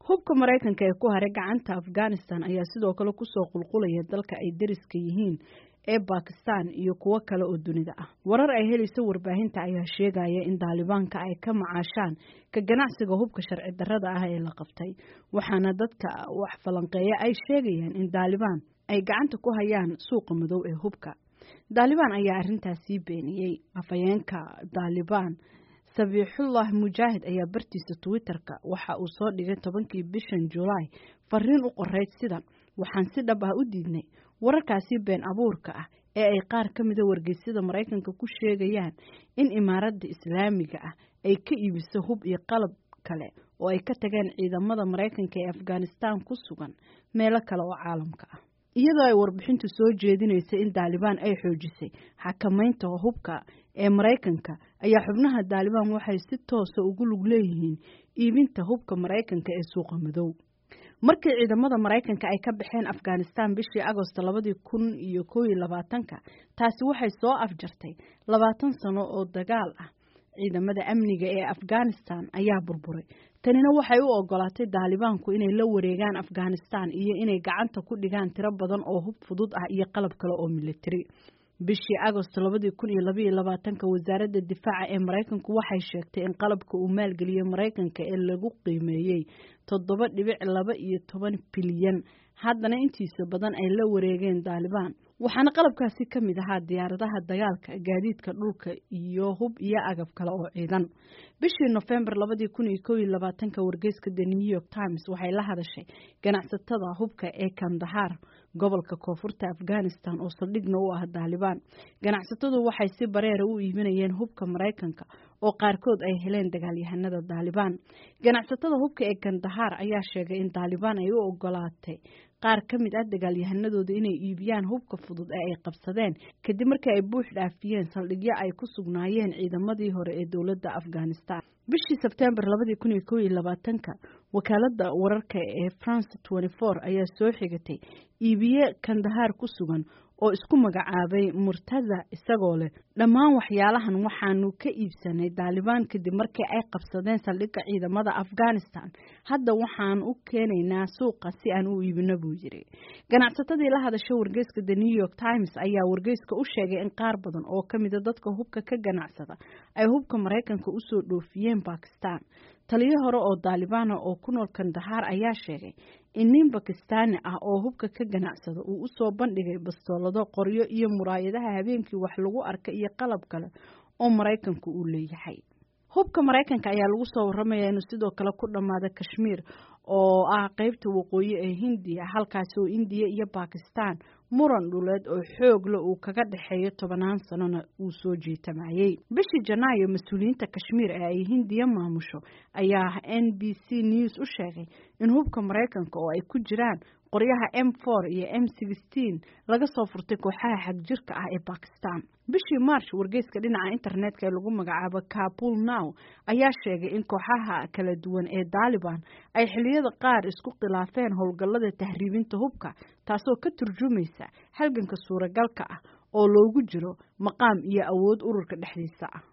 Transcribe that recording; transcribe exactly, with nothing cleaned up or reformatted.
Hubka Maraykanka ee ku haray gacanta Afghanistan ayaa sidoo kale kusoo qulqulaya dalka ay deriska yihiin ee Bakistan iyo kuwo kale oo dunida ah. Warar ay helayso warbaahinta ayaa sheegaya in Daalibaanka ay ka macaashaan ka ganacsiga hubka sharci darrada ah ee la qabtay, waxaana dadka wax falanqeeya ay sheegayaan in Daalibaan ay gacanta ku hayaan suuqa madow ee hubka. Daalibaan ayaa arrintaasi beeniyey. Afhayeenka Daalibaan Sabiixullah Mujaahid ayaa bartiisa Twitter-ka waxa uu soo dhigay tobankii bishan Julaay fariin u qorayd sida: "Waxaan si dhab ah u diidnay wararkaasi been abuurka ah ee ay qaar ka mida wargeysyada Maraykanka ku sheegayaan in Imaaradda Islaamiga ah ay ka iibiso hub iyo qalab kale oo ay ka tageen ciidamada Maraykanka ee Afghanistan ku sugan meelo kale oo caalamka ah." Iyadoo ay warbixintu soo jeedinaysa in Daalibaan ay xoojisay xakamaynta hubka ee Maraykanka, ayaa xubnaha Daalibaan waxay si toosa ugu lug leeyihiin iibinta hubka Maraykanka ee suuqa madow. Markii ciidamada Maraykanka ay ka baxeen Afghanistan bishii Agosto labadii kun iyo kow iyo labaatanka, taasi waxay soo afjartay labaatan sano oo dagaal ah. Ciidamada amniga ee Afghanistan ayaa burburay. Tanina waxay u ogolaatay Daalibaanku inay la wareegaan Afghanistan iyo inay gacanta ku dhigaan tiro badan oo hub fudud ah iyo qalab kale oo militari. Bishii Agosto labadii kun iyo labaiyo labaatanka, wasaaradda difaaca ee Maraykanku waxay sheegtay in qalabka uu maalgeliyey Maraykanka ee lagu qiimeeyey toddoba dhibic laba iyo toban bilyan haddana intiisa badan ay la wareegeen Daalibaan, waxaana qalabkaasi ka mid ahaa diyaaradaha dagaalka, gaadiidka dhulka iyo hub iyo agab kale oo ciidan. Bishii Nofembar labadii kun iyo kow iyo labaatanka, wargeyska The New York Times waxay la hadashay ganacsatada hubka ee Kandahar, gobolka koonfurta Afghanistan oo saldhigna u ah Daalibaan. Ganacsatadu waxay si bareera u iibinayeen hubka Maraykanka oo qaarkood ay heleen dagaalyahanada Daalibaan. Ganacsatada hubka ee Kandahar ayaa sheegay in Daalibaan ay u ogolaatay qaar ka mid ah dagaalyahanadooda inay iibiyaan hubka fudud ee ay qabsadeen kadib markii ay buux dhaafiyeen saldhigyo ay ku sugnaayeen ciidamadii hore ee dowladda Afghanistan. Bishii Sebtembar labadii kun iyo kow iyo labaatanka, wakaaladda wararka ee France twenty four ayaa soo xigatay iibiye Kandahar ku sugan oo isku magacaabay Murtaza, isagoo leh: "Dhammaan waxyaalahan waxaanu ka iibsanay Daalibaan kadib markii ay qabsadeen saldhigga ciidamada Afghanistan. Hadda waxaan u keenaynaa suuqa si aan u iibino," buu yiri. Ganacsatadii la hadashay wargeyska The New York Times ayaa wargeyska u sheegay in qaar badan oo ka mida dadka hubka ka ganacsada ay hubka Maraykanka usoo dhoofiyeen Bakistan. Taliyo hore oo Daalibaana oo ku nool Kandahar ayaa sheegay in nin Bakistaani ah oo hubka ka ganacsada uu usoo bandhigay bastoolado, qoryo iyo muraayadaha habeenkii wax lagu arka iyo qalab kale oo Maraykanku uu leeyahay. Hubka Maraykanka ayaa lagu soo waramayaa inuu sidoo kale ku dhammaada Kashmiir oo ah qeybta waqooyi ee Hindiya, halkaasi oo Indiya iyo Bakistan muran dhuleed oo xoog leh uu kaga dhexeeyo, tobanaan sanona uu soo jiitamayey. Bishii Janaayo, mas-uuliyiinta Kashmiir ee ay Hindiya maamusho ayaa N B C News u sheegay in hubka Maraykanka oo ay ku jiraan qoryaha M four iyo M sixteen laga soo furtay kooxaha xagjirka ah ee Bakistan. Bishii March, wargeyska dhinaca internetka ee lagu magacaabo Kabul Now ayaa sheegay in kooxaha kala duwan ee Daaliban ay xilliyada qaar isku khilaafeen howlgallada tahriibinta hubka, taasoo ka turjumaysa halganka suuragalka ah oo loogu jiro maqaam iyo awood ururka dhexdiisa ah.